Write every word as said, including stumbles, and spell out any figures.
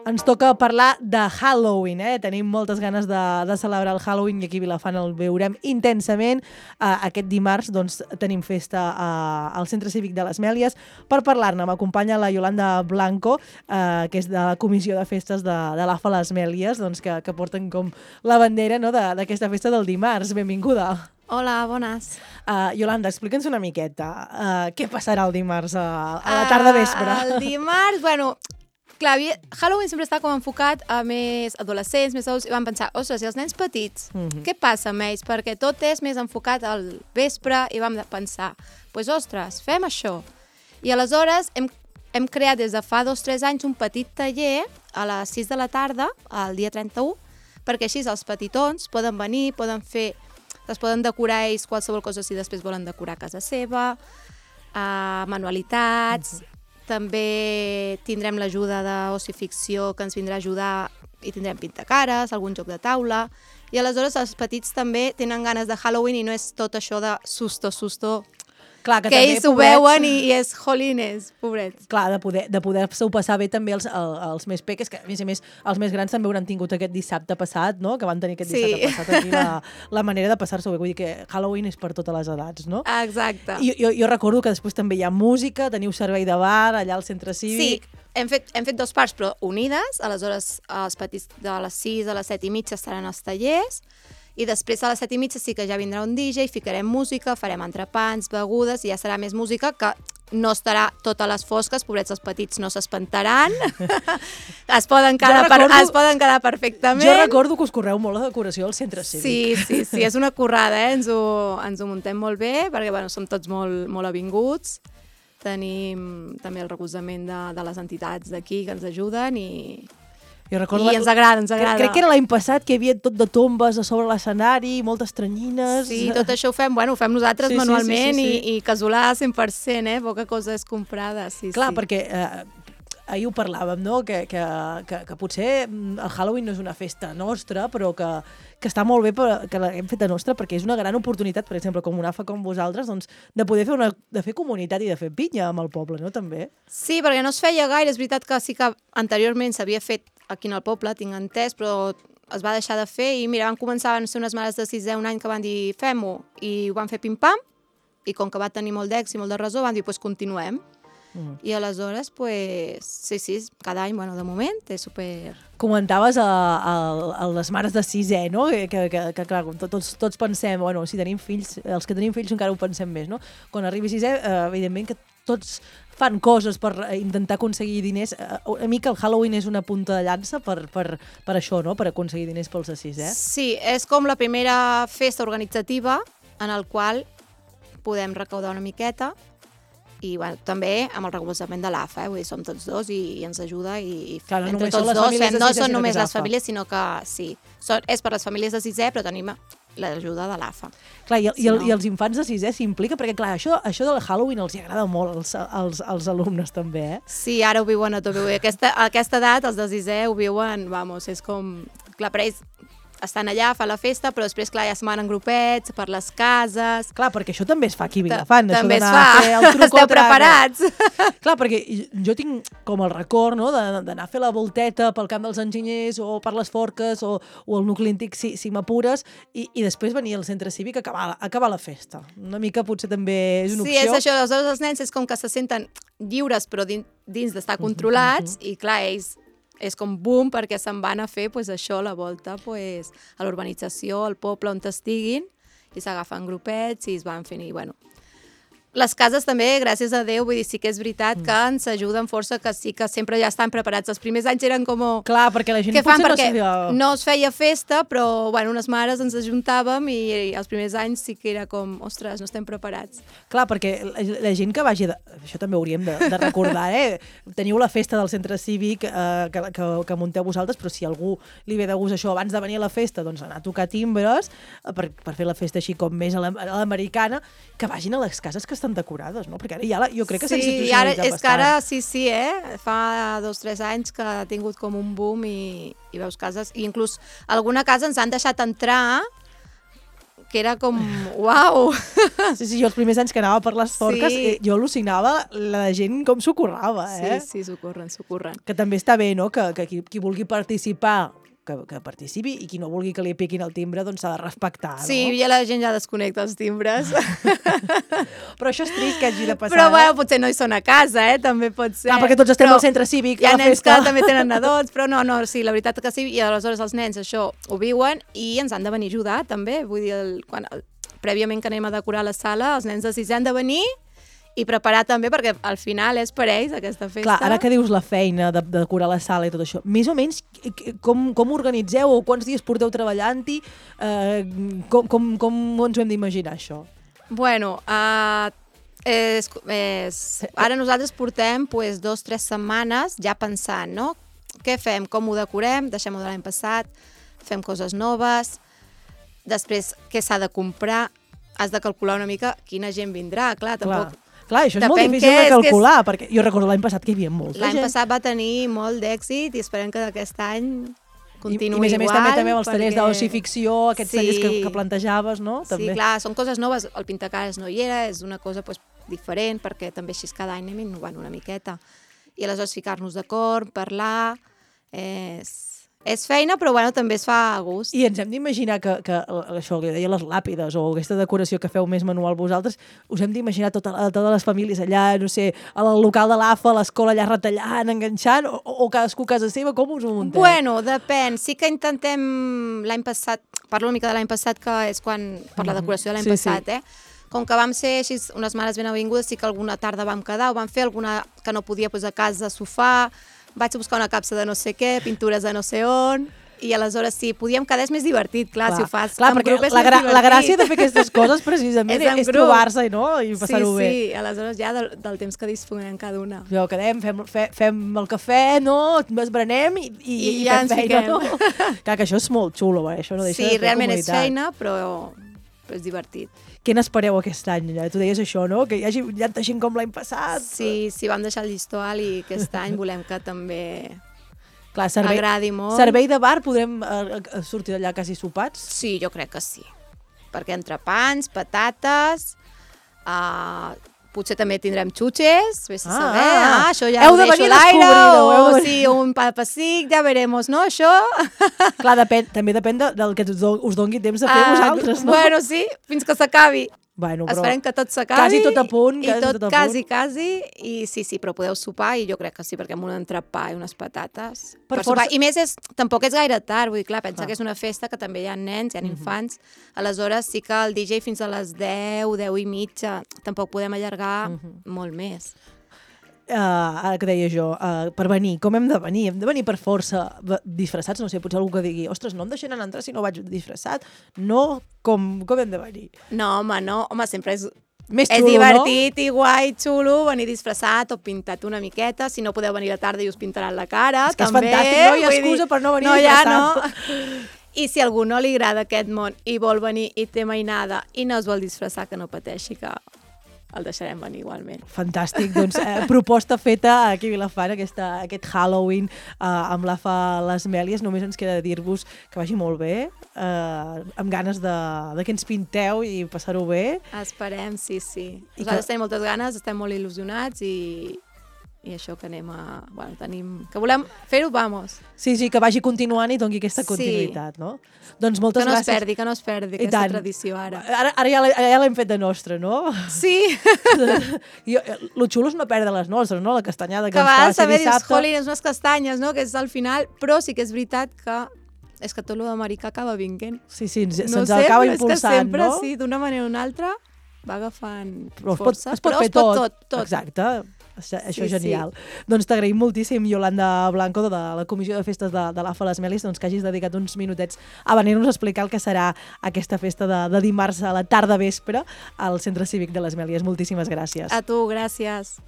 Ens toca parlar de Halloween, eh? Tenim moltes ganes de, de celebrar el Halloween i aquí a Vilafant el veurem intensament. Uh, aquest dimarts doncs, tenim festa uh, al Centre Cívic de les Mèlies. Per parlar-ne m'acompanya la Yolanda Blanco, uh, que és de la Comissió de Festes de, de l'A F A Les Mèlies, doncs, que, que porten com la bandera, no?, d'aquesta festa del dimarts. Benvinguda. Hola, bones. Uh, Yolanda, explica'ns una miqueta. Uh, què passarà el dimarts a, a la tarda vespre? Uh, el dimarts, bueno... Clar, Halloween sempre està com enfocat a més adolescents, més adults, i vam pensar, ostres, i els nens petits, mm-hmm. què passa amb ells? Perquè tot és més enfocat al vespre i vam pensar, doncs, pues, ostres, fem això. I aleshores hem, hem creat des de fa dos o tres anys un petit taller a les sis de la tarda, el dia trenta-u, perquè així els petitons poden venir, poden fer, es poden decorar ells qualsevol cosa si després volen decorar casa seva, uh, manualitats... Mm-hmm. També tindrem l'ajuda d'Oci Ficció, que ens vindrà a ajudar i tindrem pintacares, algun joc de taula. I aleshores els petits també tenen ganes de Halloween i no és tot això de susto, susto... Clar, que, que també, ells ho pobrets... veuen i, i és jolines, pobrets. Clar, de poder, de poder-se-ho passar bé també els, els, els més peques, que a més a més els més grans també hauran tingut aquest dissabte passat, no?, que van tenir aquest sí. dissabte passat aquí la, la manera de passar-s'ho bé. Vull dir que Halloween és per totes les edats, no? Exacte. I jo, jo recordo que després també hi ha música, teniu servei de bar allà al centre cívic... Sí. Hem fet, hem fet dos parts, però unides. Aleshores, els petits de les sis a les set i mitja estaran als tallers i després a les set i mitja sí que ja vindrà un D J, ficarem música, farem entrepans, begudes i ja serà més música que no estarà totes les fosques, pobrets els petits no s'espantaran, es, poden quedar recordo, per, es poden quedar perfectament. Jo recordo que us correu molt la decoració al centre cívic. Sí, sí, sí, és una currada, eh? ens, ho, ens ho muntem molt bé perquè bueno, som tots molt, molt avinguts. Tenim també el recolzament de, de les entitats d'aquí que ens ajuden i, jo recordo i ens agrada, ens agrada. Crec que era l'any passat que hi havia tot de tombes a sobre l'escenari, moltes tranyines... Sí, tot això ho fem, bueno, ho fem nosaltres sí, manualment sí, sí, sí, sí. I, i casolà cent per cent, eh? Poca cosa és comprada, sí, Clar, sí. perquè... Eh, ahir ho parlàvem, no?, que, que, que, que potser el Halloween no és una festa nostra, però que, que està molt bé per, que l'hem fet a nostra, perquè és una gran oportunitat, per exemple, com una A F A com vosaltres, doncs, de poder fer, una, de fer comunitat i de fer pinya amb el poble, no?, també. Sí, perquè no es feia gaire, és veritat que sí que anteriorment s'havia fet aquí en el poble, tinc entès, però es va deixar de fer i mira, van començar a ser unes mares de sisè un any que van dir fem-ho, i ho van fer pim-pam, i com que va tenir molt d'èxit i molt de resó, van dir, doncs pues, continuem. Mm. I aleshores, pues, sí, sí, cada any, bueno, de moment, és super... Comentaves a, a, a les mares de sisè, no?, que, que, que, que clar, tots, tots pensem, bueno, si tenim fills, els que tenim fills encara ho pensem més, no? Quan arribi sisè, eh, evidentment que tots fan coses per intentar aconseguir diners. A mi que el Halloween és una punta de llança per, per, per això, no?, per aconseguir diners pels de sisè. Sí, és com la primera festa organitzativa en el qual podem recaudar una miqueta i bueno, també amb el recolzament de l'A F A, eh? Vull dir, som tots dos i, i ens ajuda i clar, no entre tots dos fem, no són només les famílies, sinó que sí, són, és per les famílies de sisè, però tenim l'ajuda de l'A F A. Clar, i, si i, el, no... i els infants de sisè s'implica, perquè clar, això, això del Halloween els hi agrada molt als, als, als alumnes també, eh? Sí, ara ho viuen a tot, aquesta, a aquesta edat els de sisè ho viuen, vamos, és com, clar, per ells estan allà, fa la festa, però després, clar, ja se'n van en grupets, per les cases... Clar, perquè això també es fa aquí a Vilafant. També es fa, esteu preparats. Clar, perquè jo tinc com el record, no?, d'anar a fer la volteta pel camp dels enginyers o per les forques o, o el nucli antic, si, si m'apures, i, i després venir al centre cívic a acabar, a acabar la festa. Una mica potser també és una sí, opció. Sí, és això, aleshores els nens és com que se senten lliures, però dins, dins d'estar controlats, mm-hmm. i clar, ells... és com boom, perquè se'n van a fer pues, això, la volta pues, a l'urbanització, al poble on estiguin, i s'agafen grupets i es van fent, i bueno... Les cases també, gràcies a Déu, vull dir, sí que és veritat que ens ajuden força, que sí que sempre ja estan preparats. Els primers anys eren com... Clar, perquè la gent què fan? potser Perquè no sabia... no es feia festa, però, bueno, unes mares ens ajuntàvem i, i els primers anys sí que era com, ostres, no estem preparats. Clar, perquè la, la gent que vagi... De... Això també hauríem de, de recordar, eh? Teniu la festa del centre cívic eh, que, que, que munteu vosaltres, però si algú li ve de gust això abans de venir a la festa, doncs anar a tocar timbres eh, per, per fer la festa així com més a l'americana, que vagin a les cases que estan decorades, no? Perquè ara ja la, jo crec que s'ha institucionalitzat bastant. Sí, és que ara sí, sí, eh? Fa dos o tres anys que ha tingut com un boom i, i veus cases, i inclús alguna casa ens han deixat entrar que era com, uau! Sí, sí, jo els primers anys que anava per les forques, Sí. eh, jo al·lucinava la gent com s'ho currava, eh? Sí, sí, s'ho corren, s'ho corren. Que també està bé, no?, que, que qui, qui vulgui participar, que, que participi, i qui no vulgui que li piquin el timbre, doncs s'ha de respectar, no? Sí, ja la gent ja desconnecta els timbres. Però això és trist que hagi de passar. Però, bueno, potser no hi són a casa, eh? També pot ser. Clar, perquè tots estem Però al centre cívic, hi ha a la nens festa. que també tenen nadons, però no, no, sí, la veritat que sí, i aleshores els nens això ho viuen i ens han de venir a ajudar, també. Vull dir, el, quan, el, prèviament que anem a decorar la sala, els nens de sisè han de venir i preparar també, perquè al final és per ells aquesta festa. Clar, ara que dius la feina de, de decorar la sala i tot això, més o menys com, com organitzeu o quants dies porteu treballant-hi? Eh, com, com, com ens ho hem d'imaginar, això? Bueno, uh, és, és, ara nosaltres portem pues, dos o tres setmanes ja pensant, no? Què fem? Com ho decorem? Deixem-ho de l'any passat? Fem coses noves? Després, què s'ha de comprar? Has de calcular una mica quina gent vindrà, clar, tampoc... Clar. Clar, això és molt Depèn difícil què de és, calcular, és... perquè jo recordo l'any passat que hi havia molta gent. L'any passat va tenir molt d'èxit i esperem que aquest any continuï igual. I, i més a més també, també els tallers perquè... d'oci ficció, aquests sí. tallers que, que plantejaves, no? També. Sí, clar, són coses noves. El pintacares no hi era, és una cosa pues, diferent, perquè també així cada any anem innovant una miqueta. I aleshores ficar-nos d'acord, parlar... És... És feina, però bueno, també es fa a gust. I ens hem d'imaginar que, que això que deia les làpides o aquesta decoració que feu més manual vosaltres, us hem d'imaginar tota, totes les famílies allà, no sé, al local de l'A F A, a l'escola allà retallant, enganxant, o, o cadascú a casa seva, com us ho munteu? Bueno, depèn. Sí que intentem l'any passat, parlo una mica de l'any passat, que és quan, per la decoració de l'any sí, passat, sí. eh? Com que vam ser així unes mares ben avingudes, sí que alguna tarda vam quedar, ho vam fer, alguna que no podia pues, a casa, sofà, vaig a buscar una capsa de no sé què, pintures de no sé on... I aleshores, si podíem quedar, és més divertit, clar, clar si ho fas clar, en grup és la, més gra divertit. La gràcia de fer aquestes coses, precisament, és, és trobar-se, no?, i passar-ho sí, bé. Sí, sí, aleshores ja del, del temps que disponem cada una. Jo, quedem, fem, fe, fem el cafè, no?, esbranem i, i, I, i ja fem ens feina, fiquem. no? Clar, que això és molt xulo, eh? Això no deixa sí, de fer realment comunitat. és feina, però, però és divertit. Què n'espereu aquest any? Tu deies això, no?, que hi hagi tanta gent com l'any passat. Sí, sí, vam deixar el llistó alt i aquest any volem que també... Clar, servei, agradi molt. Servei de bar, podrem eh, sortir d'allà quasi sopats? Sí, jo crec que sí. Perquè entrepans, patates, uh, potser també tindrem xutxes, vés a Ah, saber, ah. ah, això ja Heu ho de deixo venir a a l'aire, descobrir-ho, heu o de- sí, un pa de pessic, ja veremos, no, això? Clar, depèn, també depèn de, del que us do- us doni temps de fer Ah, vosaltres, no? Bueno, sí, fins que s'acabi. Bueno, però Esperem que tot s'acabi. quasi tot a punt, I quasi tot, tot a quasi, punt. quasi. I sí, sí, però podeu sopar i jo crec que sí, perquè amb un entrepà i unes patates... Per Per força- sopar. I més, és, tampoc és gaire tard, vull dir, clar, pensa Clar. que és una festa que també hi ha nens, hi ha infants, aleshores sí que el D J fins a les deu, deu i mitja, tampoc podem allargar molt més. Uh, ara que deia jo, uh, per venir, com hem de venir? Hem de venir per força v- disfressats? No sé, potser algú que digui, ostres, no em deixaran entrar si no vaig disfressat. No, com, com hem de venir? No, home, no, home, sempre és... Més és xulo, divertit i guai, xulo, venir disfressat o pintat una miqueta. Si no podeu venir a la tarda i us pintaran la cara, És que és també. fantàstic, no hi ha vull excusa dir, per no venir no hi ha, disfressat. no? I si a algú no li agrada aquest món i vol venir i té mainada i no es vol disfressar, que no pateixi, que el deixarem venir igualment. Fantàstic, doncs eh, proposta feta aquí a Vilafant, aquesta, aquest Halloween eh, amb l'A F A Les Mèlies. Només ens queda dir-vos que vagi molt bé, eh, amb ganes de, de que ens pinteu i passar-ho bé. Esperem, sí, sí. I Nosaltres que- tenim moltes ganes, estem molt il·lusionats i, i això que anem a... Bueno, tenim... Que volem fer-ho, vamos. Sí, sí, que vagi continuant i doni aquesta Sí. continuïtat, no? Doncs moltes Que no es gràcies. perdi, que no es perdi I aquesta tant. tradició ara. Ara, ara ja l'he- ja l'hem fet de nostra, no? Sí, Jo, lo xulo és no perdre les nostres, no? La castanyada que, que a ens toca vegades ser també dius, dissabte. jolín, és unes castanyes, no?, que és al final, però sí que és veritat que és que tot lo d'americà acaba vinguent. Sí, sí, ens, No se'ns sé, acaba però és que impulsant, sempre, no? sí, d'una manera o una altra, va agafant Però es pot, força. es pot però fer es pot tot. tot, tot. Exacte. Això, això Sí, és genial. Doncs t'agraïm moltíssim, Yolanda Blanco, de la Comissió de Festes de, de l'A F A Les Mèlies, doncs que hagis dedicat uns minutets a venir-nos a explicar el que serà aquesta festa de, de dimarts a la tarda vespre al Centre Cívic de Les Mèlies. Moltíssimes gràcies. A tu, gràcies.